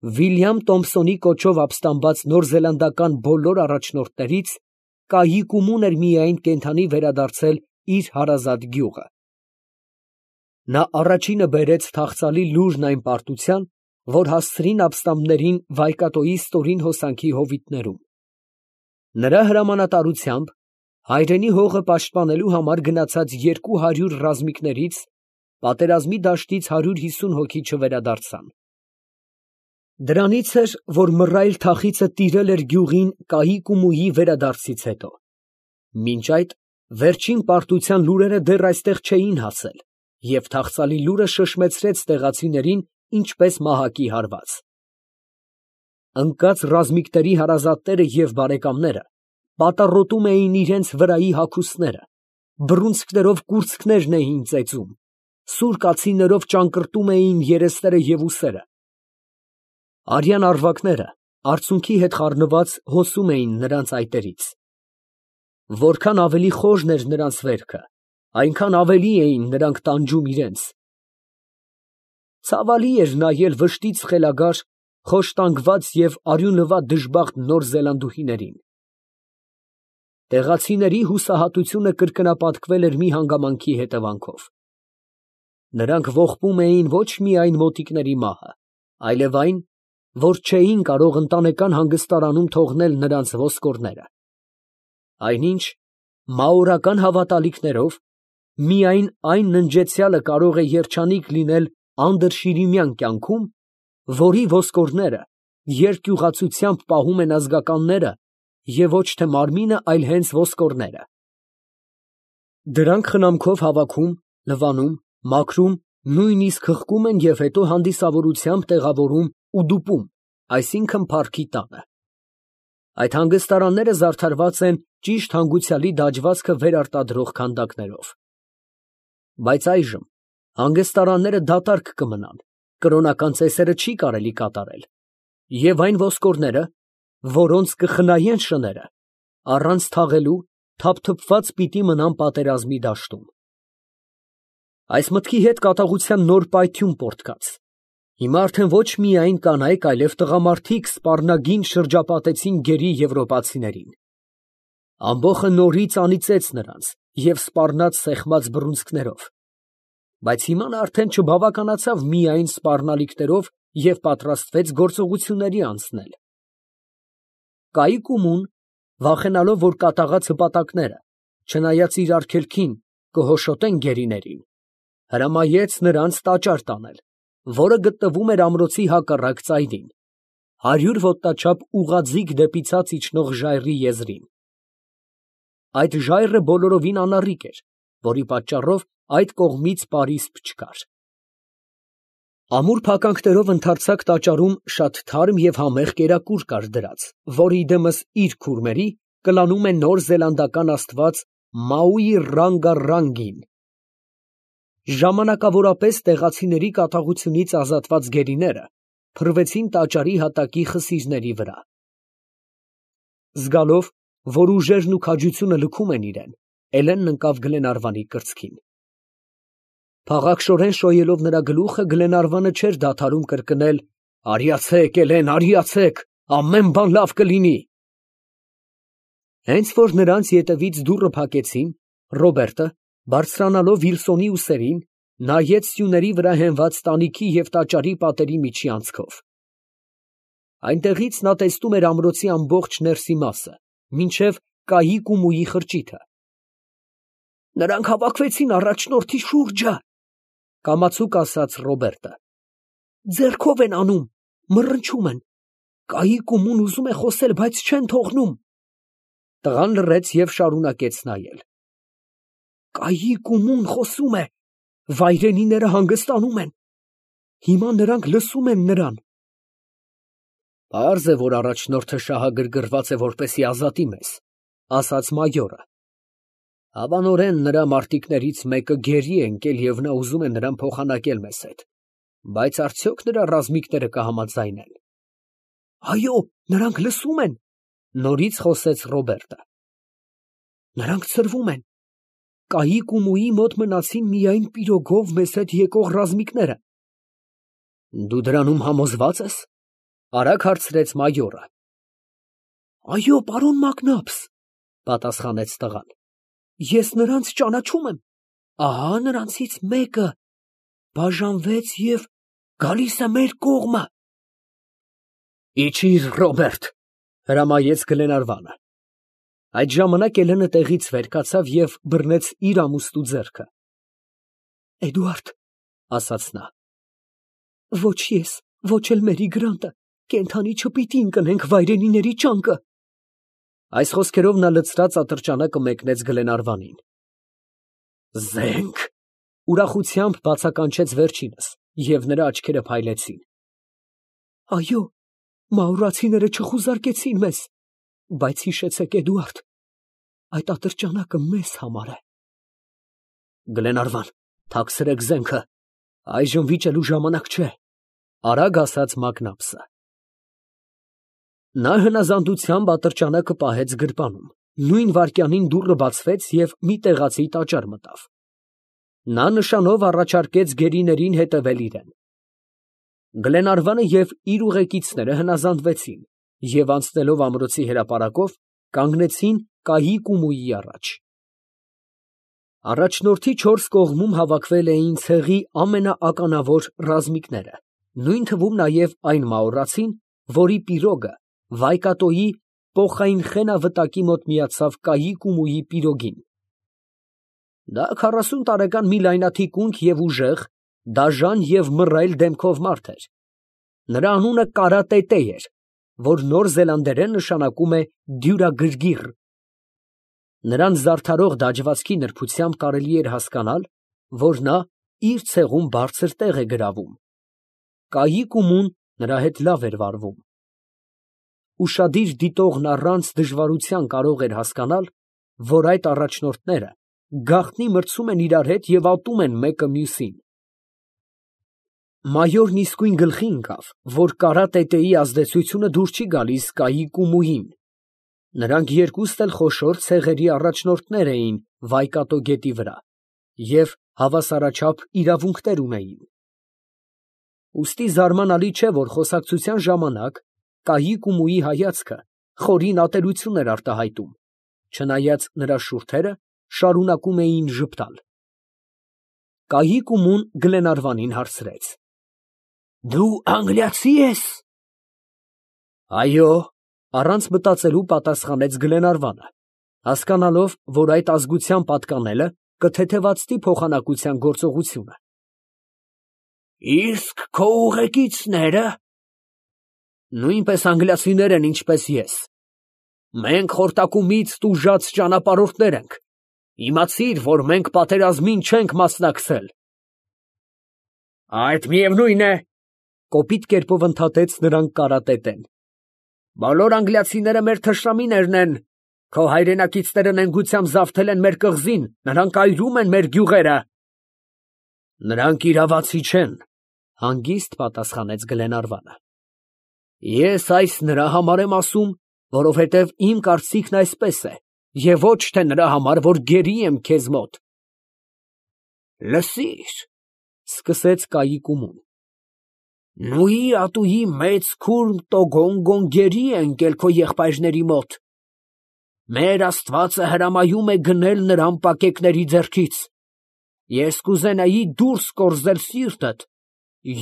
Վիլյամ Թոմփսոնի կոչով ապստամբած նորզելանդական բոլոր առաջնորդներից Կայիկումուն էր միայն կենդանի վերադարձել իր հարազատ գյուղը։ Նա առաջինը բերեց թախծալի լուրն այն պարտության, որ հասցրին ապստամբներին Վայկատոյի ստորին հոսանքի հովիտներում։ Նրա հրամանատարությամբ հայրենի հողը պաշտպանելու համար գնացած 200 ռազմիկներից պատերազմի դաշտից 150 հոգի չվերադարձան։ Դրանից էր, որ մռայլ թախիծը տիրել էր գյուղին Կայիկումուի վերադարձից հետո։ Մինչ այդ վերջին պարտության լուրերը դեռ այստեղ չէին հասել, և թախծալի լուրը շշմեցրեց տեղացիներին ինչպես մահակի հարված։ Ընկած ռազմիկների հարազատները և բարեկամները պատառոտում էին իրենց վրայի հագուստները, բռունցքներով կուրծքներն էին ծեծում, սուր կացիններով ճանկռտում էին երեսները և ուսերը։ Արյան առվակները արցունքի հետ խառնված հոսում էին նրանց այտերից։ Որքան ավելի խորն էր նրանց վերքը, այնքան ավելի էին նրանք տանջում իրենց։ Ցավալի էր նայել վշտից խելագար, խոշտանգված և արյունլվա դժբախտ նոր զելանդուհիներին։ Տեղացիների հուսահատությունը կրկնապատկվել էր մի հանգամանքի հետևանքով։ Նրանք ողբում էին ոչ միայն մոտիկների մահը, այլև այն, որ չէին կարող ընտանեկան հանգստարանում թողնել նրանց ոսկորները։ Այնինչ, մաորական հավատալիքներով, միայն այն ննջեցյալը կարող է երջանիկ լինել անդրշիրիմյան կյանքում, որի ոսկորները երկյուղացությամբ պահում են ազգականները և ոչ թե մարմինը, այլ հենց ոսկորները։ Դրանք խնամքով հավաքում, լվանում, մաքրում, նույնիսկ հղկում են և հետո հանդիսավորությամբ տեղավորում ուդուպում, այսինքն փառքի տանը։ Այդ հանգստարանները զարդարված են ճիշտ հանգուցյալի դաջվածքը վերարտադրող քանդակներով։ Բայց այժմ հանգստարանները դատարկ կմնան, կրոնական ծեսերը չի կարելի կատարել, և այն ոսկորները, որոնց կխնայեն շները, առանց թաղելու, թափթփված պիտի մնան պատերազմի դաշտում։ Այս մտքի հետ կատաղության նոր պայթյուն պոռթկաց։ Հիմա արդեն ոչ միայն կանայք, այլև տղամարդիկ սպառնագին շրջապատեցին գերի եվրոպացիներին։ Ամբոխը նորից անիծեց նրանց և սպառնաց սեղմած բռունցքներով։ Բայց հիմա նա արդեն չբավականացավ միայն սպառնալիքներով և պատրաստվեց գործողությունների անցնել։ Կայիկումուն, վախենալով, որ կատաղած հպատակները, չնայած իր արգելքին, կհոշոտեն գերիներին, հրամայեց նրանց տաճար տանել, որը գտնվում էր ամրոցի հակառակ ծայրին, 100 ոտնաչափ ուղղաձիգ դեպի ցած իջնող ժայռի եզրին։ Այդ ժայռը բոլորովին անառիկ էր, որի պատճառով այդ կողմից պարիսպ չկար։ Ամուր փականքներով ընդարձակ տաճարում շատ թարմ և համեղ կերակուր կար դրած, որի դեմս իր քուրմերի կլանում է նոր զելանդական աստված Մաուի Ռանգա Ռանգին։ Ժամանակավորապես տեղացիների կատաղությունից ազատված գերիները փռվեցին տաճարի հատակի խսիրների վրա։ Զգալով, որ ուժերն ու քաջությունը լքում են իրան, Էլենն ընկավ Գլենարվանի կրծքին։ Փաղաքշորեն շոյելով նրա գլուխը, Գլենարվանը չէր դադարում կրկնել. «Արիացեք, Էլեն, արիացեք, ամեն բան լավ կլինի»։ Հենց որ նրանց ետևից դուռը փակեցին, Ռոբերտը, բարձրանալով Վիլսոնի ուսերին, նայեց սյուների վրա հենված տանիքի և տաճարի պատերի միջի անցքով։ Այնտեղից նա տեսնում էր ամրոցի ամբողջ ներսի մասը, մինչև Կայիկումուի խրճիթը։ «Նրանք հավաքվեցին առաջնորդի շուրջը», ֊ կամացուկ ասաց Ռոբերտը։ «Ձեռքով են անում, մռնչում են։ Կայիկումուն ուզում է խոսել, բայց չեն թողնում»։ Տղան լռեց և շարունակեց նայել։ «Կայիկումուն խոսում է, վայրենիները հանգստանում են։ Հիմա նրանք լսում են նրան»։ «Պարզ է, որ առաջնորդը շահագրգռված է, որպեսզի ազատի մեզ», ֊ ասաց մայորը։ «Հավանորեն նրա մարտիկներից մեկը գերի է ընկել և նա ուզում է նրան փոխանակել մեզ հետ, բայց արդյոք նրա ռազմիկները կհամաձայնեն»։ «Այո, նրանք լսում են», ֊ նորից խոսեց Ռոբերտը։ «Նրանք ցրվում են։ Կայիկումուի մոտ մնացին միայն պիրոգով մեզ հետ եկող ռազմիկները»։ «Դու դրանում համոզվա՞ծ ես»։ Արագ հարցրեց մայորը։ Այո, պարոն Մակնաբս, պատասխանեց տղան։ Ես նրանց ճանաչում եմ։ Ահա նրանցից մեկը բաժանվեց և գալիս է մեր կողմը։ Իջիր, Ռոբերտ, հրամայեց Գլենարվանը։ Այդ ժամանակ Էլենը տեղից վեր կացավ և բռնեց իր ամուսնու ձեռքը։ Էդուարդ, ասաց նա, ոչ ես, ոչ էլ Մերի Գրանտը կենդանի չպիտի ընկնենք վայրենիների ճանկը։ Այս խոսքերով նա լցրած ատրճանակը մեկնեց Գլենարվանին։ Զենք, ուրախությամբ բացականչեց վերջինս, և նրա աչքերը փայլեցին։ Այո, մաուրացիները չխուզարկեցին մեզ, բայց հիշեցեք, Էդուարդ, այդ ատրճանակը մեզ համար է։ Գլենարվան, թաքցրեք զենքը, այժմ վիճելու ժամանակ չէ, արագ ասաց Մակնաբսը։ Նա հնազանդությամբ ատրճանակը պահեց գրպանում, նույն վայրկյանին դուռը բացվեց և մի տեղացի տաճար մտավ։ Նա նշանով առաջարկեց գերիներին հետևել իրեն։ Գլենարվանը և իր ուղեկիցները հնազանդվեցին և անցնելով ամրոցի հրապարակով կանգնեցին Կահի֊Կումուի առաջ։ Առաջնորդի 4 կողմում հավաքվել էին ցեղի ամենաականավոր ռազմիկները, նույն թվում նաև այն մաուրացին, որի պիրոգը Վայկատոյի փոխայինխենա վտակի մոտ միացավ Կահի֊Կումուի պիրոգին։ Դա 40 տարեկան մի լայնաթիկունք և ուժեղ, դաժան և մռայլ դեմքով մարդ էր։ Նրա անունը Կարա տետե էր, որ նոր զելանդերեն նշանակում է դյուրագրգիռ։ Նրան զարդարող դաջվածքի նրբությամբ կարելի էր հասկանալ, որ նա իր ցեղում բարձր տեղ է գրավում։ Կահի֊Կումուն նրա հետ լավ էր վարվում։ Ուշադիր դիտողն առանց դժվարության կարող էր հասկանալ, որ այդ առաջնորդները գաղտնի մրցում են իրար հետ և ատում են մեկը մյուսին։ Մայորն իսկույն գլխի ընկավ, որ Կարա տետեի ազդեցությունը դուր չի գալիս Կահի֊Կումուին։ Նրանք երկուստ էլ խոշոր ցեղերի առաջնորդներ էին Վայկատո գետի վրա և հավասարաչափ իրավունքներ ունեին։ Ուստի զարմանալի չէ, որ խոսակցության ժամանակ Կահի֊Կումուի հայացքը խորին ատելություն էր արտահայտում, չնայած նրա շուրթերը շարունակում էին ժպտալ։ Կահի֊Կումուն Գլենարվանին հարցրեց. Դու անգլիացի ես։ Այո, առանց մտածելու պատասխանեց Գլենարվանը, հասկանալով, որ այդ ազգության պատկանելը կթեթևացնի փոխանակության գործողությունը։ Իսկ քո ուղեկիցնե՞րը։ Նույնպես անգլիացիներ են, ինչպես ես։ Մենք խորտակումից տուժած ճանապարհորդներ ենք։ Իմացիր, որ մենք պատերազմին չենք մասնակցել։ Այդ միևնույն է, կոպիտ կերպով ընդհատեց նրան Կարա տետեն։ Բոլոր անգլիացիները մեր թշնամիներն են։ Քո հայրենակիցները նենգությամբ զավթել են մեր կղզին, նրանք այրում են մեր գյուղերը։ Նրանք իրավացի չեն, հանգիստ պատասխանեց Գլենարվանը։ Ես այս նրա համար եմ ասում, որովհետև իմ կարծիքն այսպես է, և ոչ թե նրա համար, որ գերի եմ քեզ մոտ։ Լսիր, սկսեց Կահի-Կումուն։ Նույի ատուի մեծ քուրմ Տոգոնգոն գերի է ընկել քո եղբայրների մոտ։ Մեր Աստվածը հրամայում է գնել նրան պակեկների ձեռքից։ Ես կուզենայի դուրս կորզել սիրտդ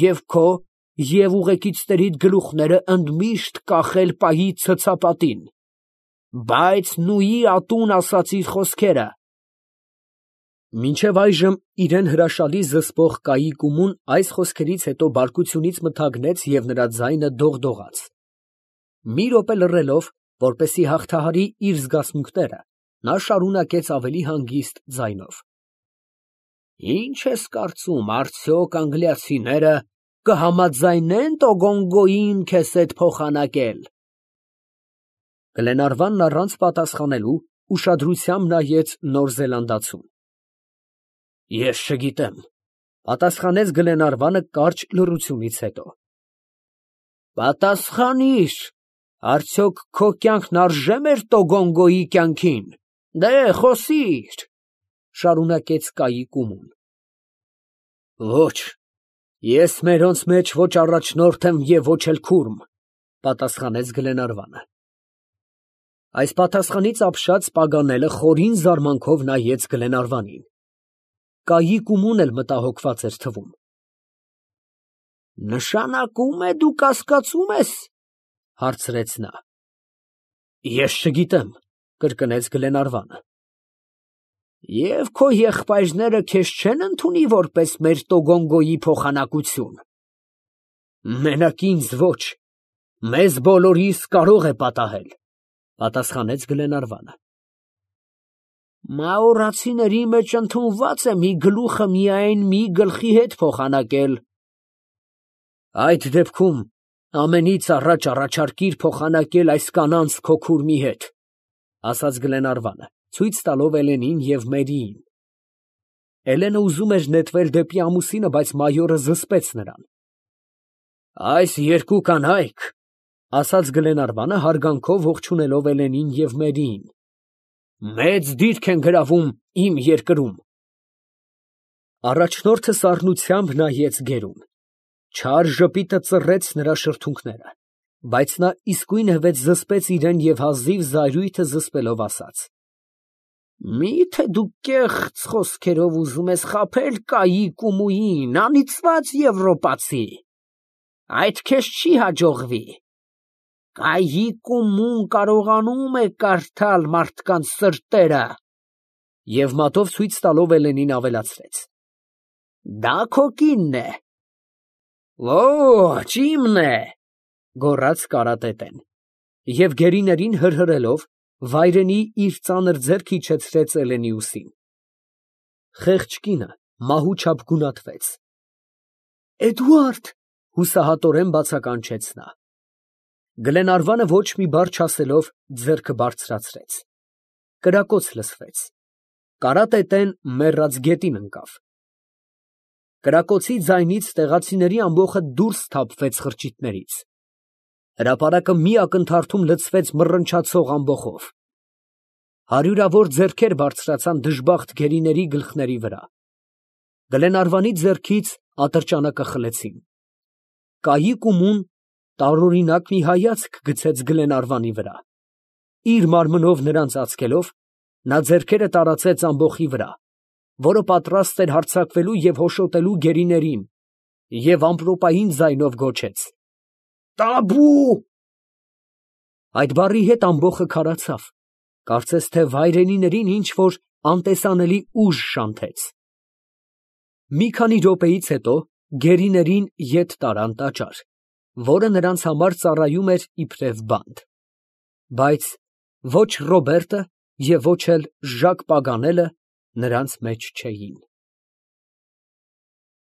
և քո և ուղեկիցներիդ գլուխները ընդմիշտ կախել պահի ցցապատին, բայց նույի ատուն ասացիր խոսքերը։ Մինչև այժմ իրեն հրաշալի զսպող Կահի-Կումուն այս խոսքերից հետո բարկությունից մթագնեց և նրա ձայնը դողդողաց։ Մի րոպե լռելով, որպեսզի հաղթահարի իր զգացմունքները, նա շարունակեց ավելի հանգիստ ձայնով. Ինչ ես կարծում, արդյոք անգլիացիները կհամաձայնեն Տոգոնգոյին քեզ հետ փոխանակել։ Գլենարվանն առանց պատասխանելու ուշադրությամբ նայեց նոր զելանդացուն։ Ես չգիտեմ, պատասխանեց Գլենարվանը կարճ լռությունից հետո։ Պատասխանիր, արդյոք քո կյանքն արժե՞ մեր Տոգոնգոյի կյանքին։ Դե խոսիր, շարունակեց Կահի-Կումուն։ Ոչ, ես մերոնց մեջ ոչ առաջնորդ եմ և ոչ էլ քուրմ։ Պատասխանեց Գլենարվանը։ Այս պատասխանից ապշած Պագանելը խորին զարմանքով նայեց Գլենարվանին։ Կայի կումուն էլ մտահոգված էր թվում։ Նշանակում է դու կասկածում ես, հարցրեց նա։ Ես չգիտեմ, կրկնեց Գլենարվանը։ Եվ քո եղբայրները քեզ չեն ընդունի որպես մեր Տոգոնգոյի փոխանակություն։ Մենակ ինձ ոչ, մեզ բոլորիս կարող է պատահել, պատասխանեց Գլենարվանը։ Մաորացիների մեջ ընդունված է մի գլուխը միայն մի գլխի հետ փոխանակել։ Այդ դեպքում ամենից առաջ առաջարկիր փոխանակել այս կանանց քո քուրմի հետ, ասաց Գլենարվանը, ցույց տալով Էլենին և Մերիին։ Էլենը ուզում էր նետվել դեպի ամուսինը, բայց մայորը զսպեց նրան։ Այս երկու կանայք, ասաց Գլենարվանը հարգանքով ողջունելով Էլենին և Մերիին, մեծ դիրք են գրավում իմ երկրում։ Առաջնորդը սառնությամբ նայեց գերուն։ Չար ժպիտը ծռեց նրա շրթունքները, բայց նա իսկույն հվեց զսպեց իրեն և հազիվ զայրույթը զսպելով ասաց. Մի՞թե դու կեղծ խոսքերով ուզում ես խաբել Կայի կումուին, անիծված եվրոպացի, այդ քեզ չի հաջողվի։ Կայի կումուն կարողանում է կարդալ մարդկանց սրտերը։ Եվ մատով ցույց տալով Էլենին ավելացրեց. Դա քո կինն է։ Ոչ, իմն է, գոռաց կարատետեն, և գերիներին հրհրելով վայրենի իր ծանր ձեռքը իջեցրեց Էլենի ուսին։ Խեղճ կինը մահու չափ գունատվեց։ Էդուարդ, հուսահատորեն բացականչեց նա։ Գլենարվանը ոչ մի բառ չասելով ձեռքը բարձրացրեց։ Կրակոց լսվեց։ Կարատետեն մեռած գետին ընկավ։ Կրակոցի ձայնից տեղացիների ամբոխը դուրս թափվեց խրճիթներից։ Հրապարակը մի ակնթարթում լցվեց մռնչացող ամբոխով։ Հարյուրավոր ձեռքեր բարձրացան դժբախտ գերիների գլխների վրա։ Գլենարվանի ձեռքից ատրճանակը խլեցին։ Կայի կումուն տարօրինակ մի հայացք գցեց Գլենարվանի վրա։ Իր մարմնով նրան ծածկելով, նա ձեռքերը տարածեց ամբոխի վրա, որը պատրաստ էր հարձակվելու և հոշոտելու գերիներին, և ամպրոպային ձայնով գոչեց. Տաբու։ Այդ բառի հետ ամբոխը քարացավ, կարծես թե վայրենիներին ինչ֊որ անտեսանելի ուժ շանթեց։ Մի քանի րոպեից հետո գերիներին ետ տարան տաճար, որը նրանց համար ծառայում էր իբրև բանտ։ Բայց ոչ Ռոբերտը և ոչ էլ Ժակ Պագանելը նրանց մեջ չէին։